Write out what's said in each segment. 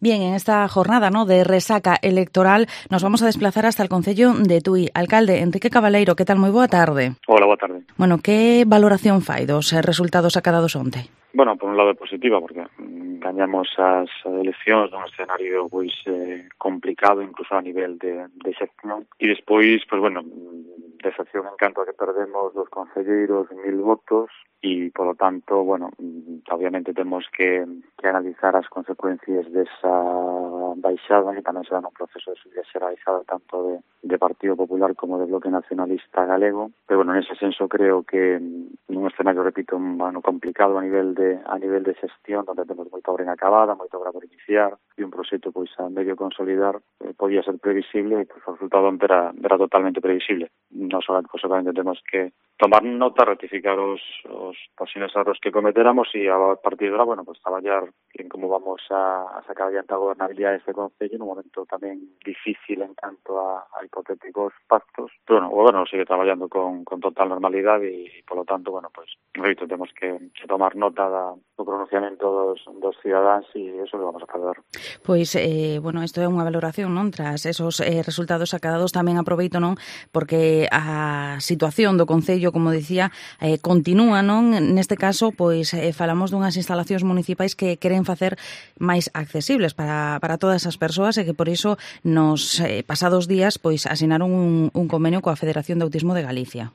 Bien, en esta jornada, ¿no?, de resaca electoral nos vamos a desplazar hasta el concello de Tui. Alcalde Enrique Cabaleiro, que tal? Moi boa tarde. Hola, boa tarde. Bueno, que valoración fai dos resultados acadados onte? Bueno, por un lado é positiva, porque gañamos as eleccións nun escenario pois complicado, incluso a nivel de xestión. E despois, pois bueno, decepción en canto a que perdemos dos concelleiros 1000 votos e, polo tanto, bueno, obviamente temos que analizar as consecuencias desa baixada, que tamén será un proceso de subida xeralizada tanto de Partido Popular como de Bloque Nacionalista Galego. Pero, bueno, nese senso creo que nun escenario, repito, complicado a nivel de xestión, onde temos moita obra inacabada, moita obra por iniciar, e un proxecto pois a medio consolidar, podía ser previsible, e pois o resultado era totalmente previsible. Non solamente temos que tomar nota, ratificar os posibles erros que cometeramos e a partir de ahora, bueno, pues traballar en como vamos a sacar adiante a gobernabilidade deste concello nun momento tamén difícil en canto a hipotéticos pactos. Pero, bueno, o goberno sigue traballando con total normalidade e, polo tanto, bueno, pues, repito, temos que tomar nota do pronunciamento dos cidadáns e eso que vamos a fazer. Pois, bueno, isto é unha valoración, non? Tras esos resultados acadados tamén aproveito, non? Porque a situación do concello, como dicía, continúa, non? Neste caso, pois, falamos dunhas instalacións municipais que queren facer máis accesibles para todas as persoas e que por iso nos pasados días pois asinaron un convenio coa Federación de Autismo de Galicia.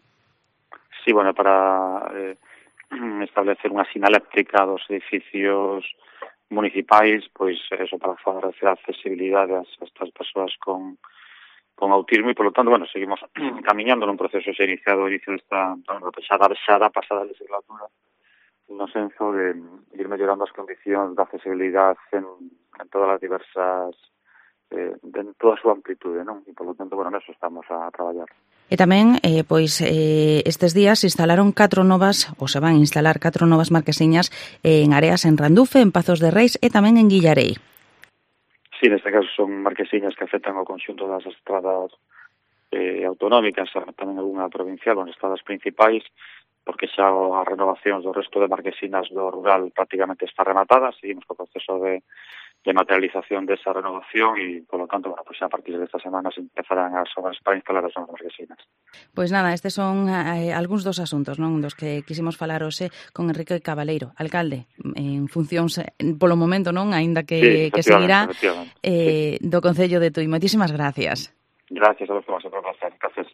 Sí, bueno, para establecer unha sinaléctrica dos edificios municipais, pois eso, para favorecer a accesibilidade a estas persoas con autismo e, polo tanto, bueno, seguimos camiñando nun proceso xa iniciado ao inicio desta xa pasada legislatura, no senso de ir mellorando as condicións da accesibilidade en todas as diversas en toda a súa amplitude, non? E, polo tanto, bueno, neso estamos a traballar. E tamén, pois, estes días se instalaron 4 novas, ou se van a instalar 4 novas marquesiñas en áreas en Randufe, en Pazos de Reis e tamén en Guillarei. Sí, neste caso son marquesiñas que afectan ao conxunto das estradas autonómicas, tamén algunha provincial, as estradas principais, porque xa as renovacións do resto de marquesinas do rural prácticamente está rematada, seguimos co proceso de materialización desa renovación e, polo tanto, bueno, pues a partir desta semana se empezarán as obras para instalar as novas marquesinas. Pois nada, estes son algúns dos asuntos, non, dos que quisimos falar hoxe con Enrique Cabaleiro, alcalde, en funcións polo momento, non, aínda que seguirá, do Concello de Tui. Moitísimas gracias. Gracias a vos por a vosa proposta. Gracias.